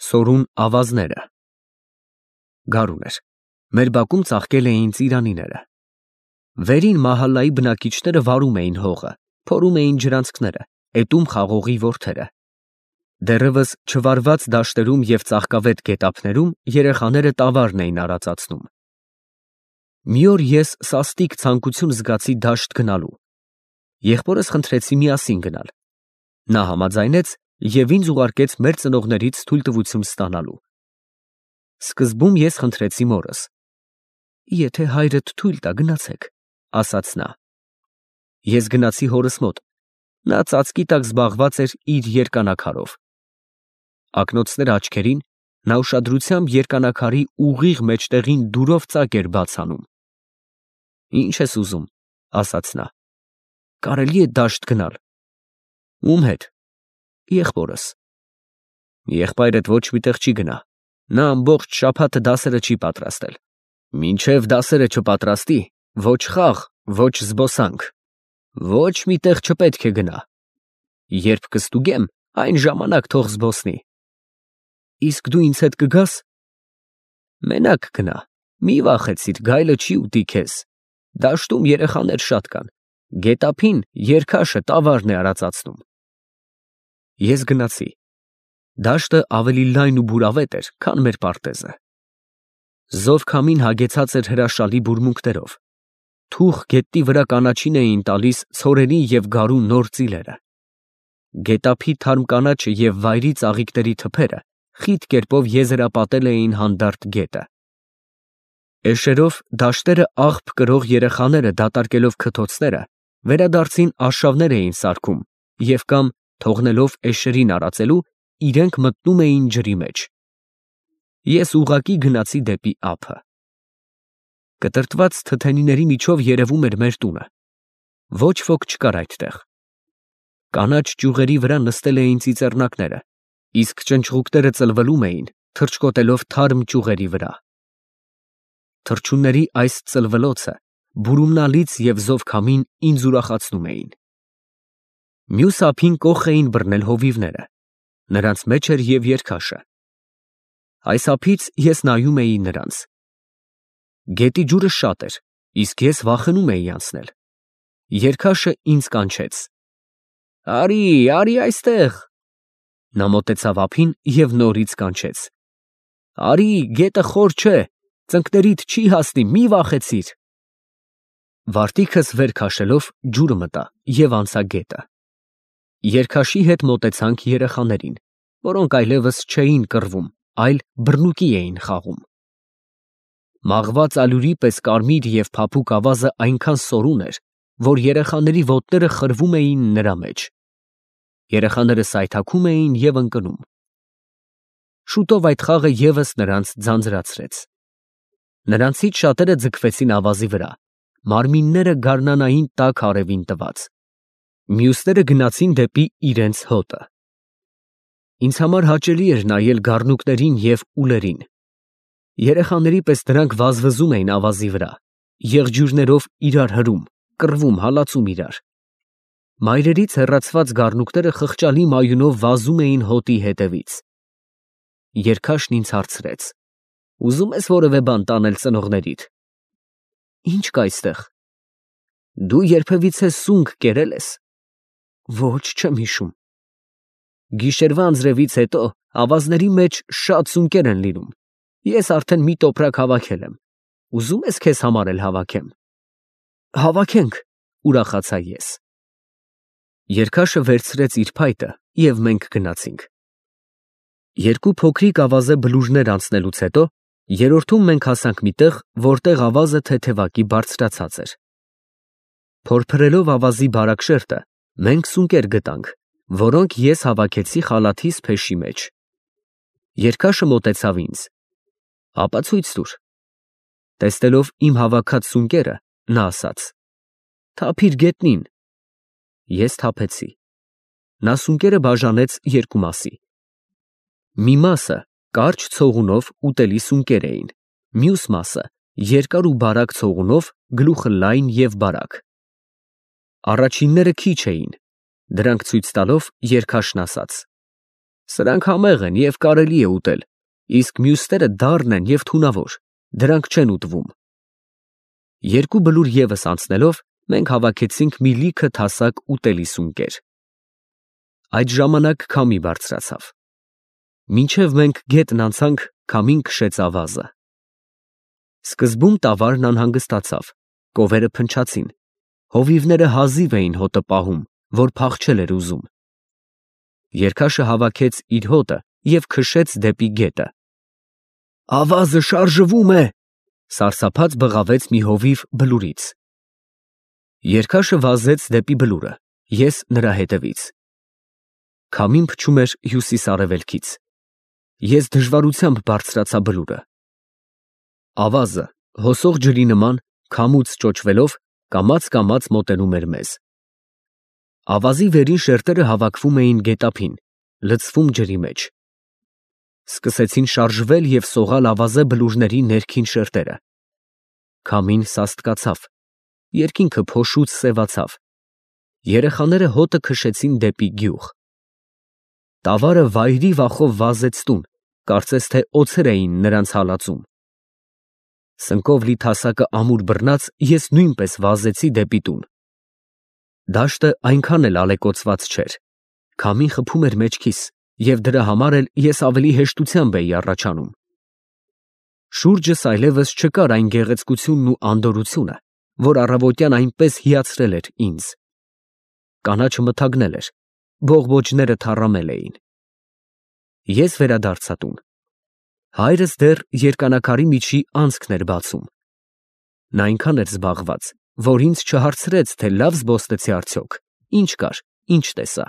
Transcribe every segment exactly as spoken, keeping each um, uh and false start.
Սորուն ավազները։ Գարուն էր։ Մեր բակում ծաղկել էին ծիրանիները։ Վերին մահալայի բնակիչները վարում էին հողը, փորում էին ջրանցքները, էտում խաղողի որդերը։ Դեռևս չվարված դաշտերում և ծաղկավետ գետափներում երեխաները տավարն էին արածացնում։ Մի օր ես սաստիկ ցանկություն զգացի դաշտ գնալու։ Եղբորս խնդրեցի միասին գնալ։ Նա համաձայնեց և ինձ ուղարկեց մեր ծնողներից թույլտվություն ստանալու։ Սկզբում ես խնդրեցի մորս. «Եթե հայրդ թույլ տա, գնացեք», ասաց նա։ Ես գնացի հորս մոտ, նա ծածկի տակ զբաղված էր իր երկանակարով։ Ակնոցները աչքերին, նա ուշադրությամբ երկանակարի ուղիղ մեջտեղին դուրով ծակ էր բաց անում։ «Ի՞նչ ես ուզում», ասաց նա։ «Կարելի է դաշտ գնալ»։ Ում հետ։ Եղբորս։ Եղբայրդ ոչ մի տեղ չի գնա, նա ամբողջ շաբաթը դասերը չի պատրաստել։ Մինչև դասերը չպատրաստի, ոչ խաղ, ոչ զբոսանք, ոչ մի տեղ չպետք է գնա։ Երբ կստուգեմ, այն ժամանակ թող զբոսնի։ Իսկ դու ինձ հետ կգա՞ս։ Մենակ գնա, մի վախեցիր, գայլը չի ուտի քեզ։ Դաշտում երեխաներ շատ կան, գետափին երգաշը տավարն է արածացնում։ Ես գնացի։ Դաշտը ավելի լայն ու բուրավետ էր, քան մեր պարտեզը։ Զով քամին հագեցած էր հրաշալի բուրմունքներով։ Թուխ գետնի վրա կանաչին էին տալիս ցորենի և գարու նոր ծիլերը։ Գետափի թարմ կանաչը և վայրի ծաղիկների թփերը խիտ կերպով եզերապատել էին հանդարտ գետը։ Էշերով դաշտերը աղբ կրող երեխաները դատարկելով քթոցները, վերադարձին արշավներ էին սարքում և կամ, թողնելով էշերին արածելու, իրենք մտնում էին ջրի մեջ։ Ես ուղղակի գնացի դեպի ափը։ Կտրտված թթենիների միջով երևում էր մեր տունը։ Ոչ ոք չկար այդտեղ։ Կանաչ ճյուղերի վրա նստել էին ծիծեռնակները, իսկ ճնճղուկները ծլվելում էին, թռչկոտելով թարմ ճյուղերի վրա։ Թռչունների այս ծլվելոցը, բուրումնալից և զով քամին ինձ ուրախացնում էին։ Մյուս ափին կոխ էին բռնել հովիվները, նրանց մեջ էր և երգաշը։ Այս ափից ես նայում էի նրանց։ Գետի ջուրը շատ էր, իսկ ես վախենում էի անցնել։ Երգաշը ինձ կանչեց. «Արի, արի այստեղ»։ Նա մոտեցավ ափին և նորից կանչեց. «Արի, գետը խոր չէ, ծնկներիդ չի հասնի, մի վախեցիր»։ Վարտիքս վեր քաշելով ջուրը մտա և անցա գետը։ Երգաշի հետ մոտեցանք երեխաներին, որոնք այլևս չէին կռվում, այլ բռնուկի էին խաղում։ Մաղված ալյուրի պես կարմիր և փափուկ ավազը այնքան սորուն էր, որ երեխաների ոտները խրվում էին նրա մեջ։ Երեխաները սայթաքում էին և ընկնում։ Շուտով այդ խաղը ևս նրանց ձանձրացրեց։ Նրանցից շատերը ձգվեցին ավազի վրա, մարմինները գարնանային տաք արևին տված։ Մյուսները գնացին դեպի իրենց հոտը։ Ինձ համար հաճելի էր նայել գառնուկներին և ուլերին։ Երեխաների պես դրանք վազվզում էին ավազի վրա, եղջյուրներով իրար հրում, կռվում, հալածում իրար։ Մայրերից հեռացված գառնուկները խղճալի մայունով վազում էին հոտի հետևից։ Երգաշն ինձ հարցրեց. «Ուզում ես որևէ բան տանել ծնողներիդ»։ «Ի՞նչ կա այստեղ»։ «Դու երբևիցե սունկ կերել ես»։ «Ոչ, չեմ հիշում»։ «Գիշերվա անձրևից հետո ավազների մեջ շատ սունկեր են լինում, ես արդեն մի տոպրակ հավաքել եմ, ուզում ես քեզ համար էլ հավաքեմ»։ «Հավաքենք», ուրախացա ես։ Երգաշը վերցրեց իր փայտը և մենք գնացինք։ Երկու փոքրիկ ավազե բլուրներ անցնելուց հետո երրորդում մենք հասանք մի տեղ, որտեղ ավազը թեթևակի բարձրացած էր։ Փորփրելով ավազի բարակ շերտը, մենք սունկեր գտանք, որոնք ես հավաքեցի խալաթիս փեշի մեջ։ Երգաշը մոտեցավ ինձ. «Ապացույց տուր»։ Տեսնելով իմ հավաքած սունկերը, նա ասաց. «Թափիր գետնին»։ Ես թափեցի։ Նա սունկերը բաժանեց երկու մասի։ Մի մասը կարճ ցողունով ուտելի սունկեր էին, մյուս մասը երկար ու բարակ ցողունով, գլուխը լայն և բարակ։ Առաջինները քիչ էին, դրանք ցույց տալով երգաշն ասաց. Սրանք համեղ են և կարելի է ուտել, իսկ մյուսները դառն են և թունավոր, դրանք չեն ուտվում։ Երկու բլուր ևս անցնելով, մենք հավաքեցինք մի լիքը թասակ ուտելի սունկեր։ Այդ ժամանակ քամի բարձրացավ։ Մինչև մենք գետն անցանք, քամին քշեց ավազը։ Սկզբում տավարն անհանգստացավ, կովերը փնչացին, հովիվները հազիվ էին հոտը պահում, որ փախչել էր ուզում։ Երգաշը հավաքեց իր հոտը և քշեց դեպի գետը։ «Ավազը շարժվում է», սարսափած բղավեց մի հովիվ բլուրից։ Երգաշը վազեց դեպի բլուրը, ես նրա հետևից։ Քամին փչում էր հյուսիս֊արևելքից։ Ես դժվարությամբ բարձրացա բլուրը։ Ավազը, հոսող ջրի նման, քամուց ճոճվելով, կամաց֊կամաց մոտենում էր մեզ։ Ավազի վերին շերտերը հավաքվում էին գետափին, լցվում ջրի մեջ։ Սկսեցին շարժվել և սողալ ավազե բլուրների ներքին շերտերը։ Քամին սաստկացավ, երկինքը փոշուց սևացավ։ Երեխաները հոտը քշեցին դեպի գյուղ։ Տավարը վայրի վախով վազեց տուն, կարծես թե օձեր էին նրանց հալածում։ Սնկով լի թասակը ամուր բռնած, ես նույնպես վազեցի դեպի տուն։ Դաշտը այնքան էլ ալեկոծված չէր, քամին խփում էր մեջքիս, և դրա համար էլ ես ավելի հեշտությամբ էի առաջանում։ Շուրջս այլևս չկար այն գեղեցկությունն ու անդորրությունը, որ առավոտյան այնպես հիացրել էր ինձ։ Կանաչը մթագնել էր, բողբոջները թառամել էին։ Ես վերադարձա տուն։ Հայրս դեռ երկանակարի միջի անցքն էր բացում։ Նա այնքան էր զբաղված, որ ինձ չհարցրեց, թե լավ զբոսնեցի արդյոք, ինչ կար, ինչ տեսա։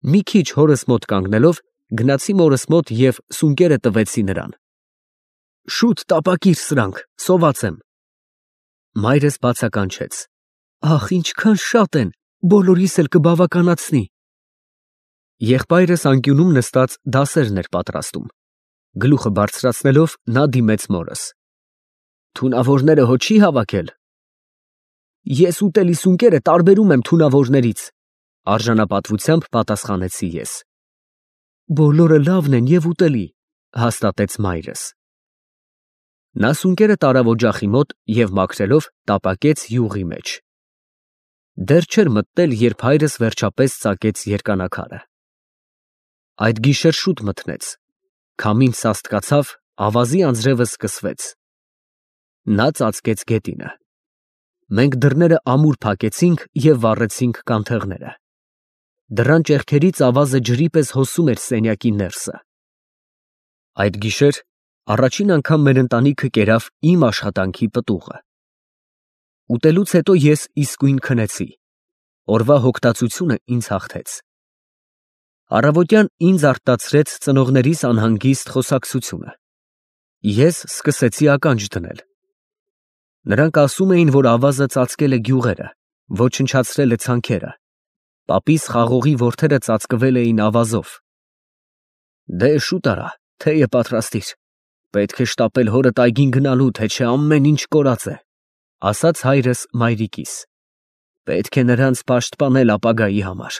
Մի քիչ հորս մոտ կանգնելով, գնացի մորս մոտ և սունկերը տվեցի նրան։ «Շուտ տապակիր սրանք, սոված եմ»։ Մայրս բացականչեց. «Ախ, ինչքան շատ են, բոլորիս էլ կբավականացնի»։ Եղբայրս անկյունում նստած դասերն էր պատրաստում։ Գլուխը բարձրացնելով, նա դիմեց մորս. «Թունավորները հո չի հավաքել»։ «Ես ուտելի սունկերը տարբերում եմ թունավորներից», արժանապատվությամբ պատասխանեցի ես։ «Բոլորը լավն են և ուտելի», հաստատեց մայրս։ Նա սունկերը տարավ օջախի մոտ և մաքրելով տապակեց յուղի մեջ։ Դեռ չէր մտնել, երբ հայրս վերջապես ծակեց երկանակարը։ Այդ գիշեր շուտ մթնեց, քամին սաստկացավ, ավազի անձրևը սկսվեց։ Նա ծածկեց գետինը։ Մենք դռները ամուր փակեցինք և վառեցինք կանթեղները։ Դռան ճեղքերից ավազը ջրի պես հոսում էր սենյակի ներսը։ Այդ գիշեր առաջին անգամ մեր ընտանիքը կերավ իմ աշխատանքի պտուղը։ Ուտելուց հետո ես իսկույն քնեցի։ Օրվա հոգտածությունը ինձ հաղթեց։ Առավոտյան ինձ արտացրեց ծնողներիս անհանգիստ խոսակցությունը։ Ես սկսեցի ականջ դնել։ Նրանք ասում էին, որ ավազը ծածկել է գյուղերը, ոչնչացրել է ցանքերը, պապիս խաղողի որդերը ծածկվել էին ավազով։ Դե շուտ արա, թեյը պատրաստիր, պետք է շտապել հորդ այգին գնալու, թե չէ ամեն ինչ կորած է, ասաց հայրս մայրիկիս։ Պետք է նրանց պաշտպանել ապագայի համար։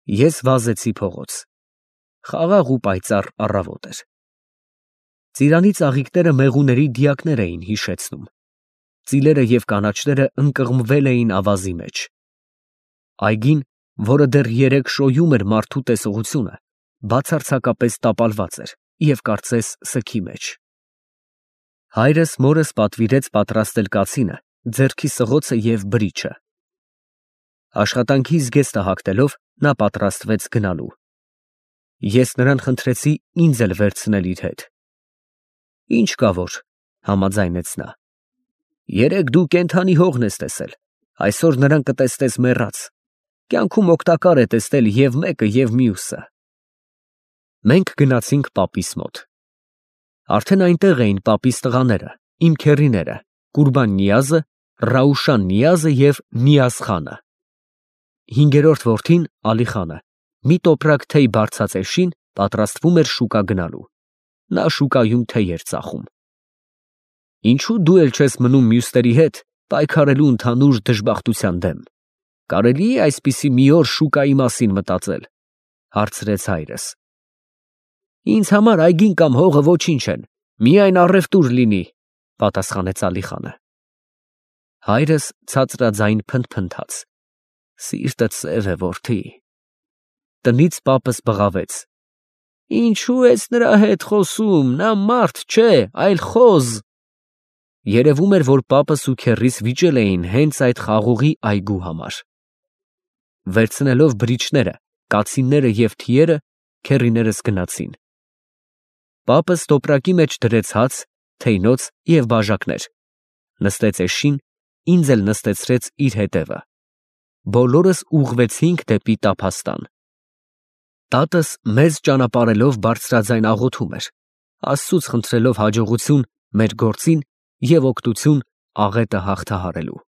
Ես վազեցի փողոց։ Խաղաղ ու պայծառ առավոտ էր։ Ծիրանի ծաղիկները մեղուների դիակներ էին հիշեցնում։ Ծիլերը և կանաչները ընկղմվել էին ավազի մեջ։ Այգին, որը դեռ երեկ շոյում էր մարդու տեսողությունը, բացարձակապես տապալված էր և կարծես սգի մեջ։ Հայրս մորս պատվիրեց պատրաստել կացինը, ձեռքի սղոցը և բրիչը։ Աշխատանքի զգեստը հագնելով, նա պատրաստվեց գնալու։ Ես նրան խնդրեցի ինձ էլ վերցնել իր հետ։ Ինչ կա որ, համաձայնեց նա։ Երեկ դու կենդանի հողն ես տեսել, այսօր նրան կտեսնես մեռած։ Կյանքում օգտակար է տեսնել և մեկը, և մյուսը։ Մենք գնացինք պապիս մոտ։ Արդեն այնտեղ էին պապիս տղաները, իմ քեռիները, Կուրբան֊Նիազը, Ռաուշան֊Նիազը և Նիազ֊խանը։ Հինգերորդ որդին՝ Ալի֊խանը, մի տոպրակ թեյ բարձած էշին, պատրաստվում էր շուկա գնալու։ Նա շուկայում թեյ էր ծախում։ Ինչո՞ւ դու էլ չես մնում մյուսների հետ, պայքարելու ընդհանուր դժբախտության դեմ։ Կարելի՞ է այսպիսի մի օր շուկայի մասին մտածել, Հարցրեց հայրս։ Ինձ համար այգին կամ հողը ոչինչ են, միայն առևտուր լինի, պատասխանեց Ալիխանը։ Հայրս ցածրաձայն փնթփնթաց. Սիրտդ սև է, որդի։ Տնից պապս բղավեց. Ինչու ես նրա հետ խոսում, նա մարդ չէ, այլ խոզ։ Երևում էր, որ պապս ու քեռիս վիճել էին հենց այդ խաղողի այգու համար։ Վերցնելով բրիչները, կացինները և թիերը, քեռիներս գնացին։ Պապս տոպրակի մեջ դրեց հաց, թեյնոց և բաժակներ, նստեց էշին, ինձ էլ նստեցրեց իր հետևը։ Բոլորս ուղղվեցինք դեպի տափաստան։ Տատս մեզ ճանապարհելով բարձրաձայն աղոթում էր, Աստծուց խնդրելով հաջողություն մեր գործին և օգնություն աղետը հաղթահարելու։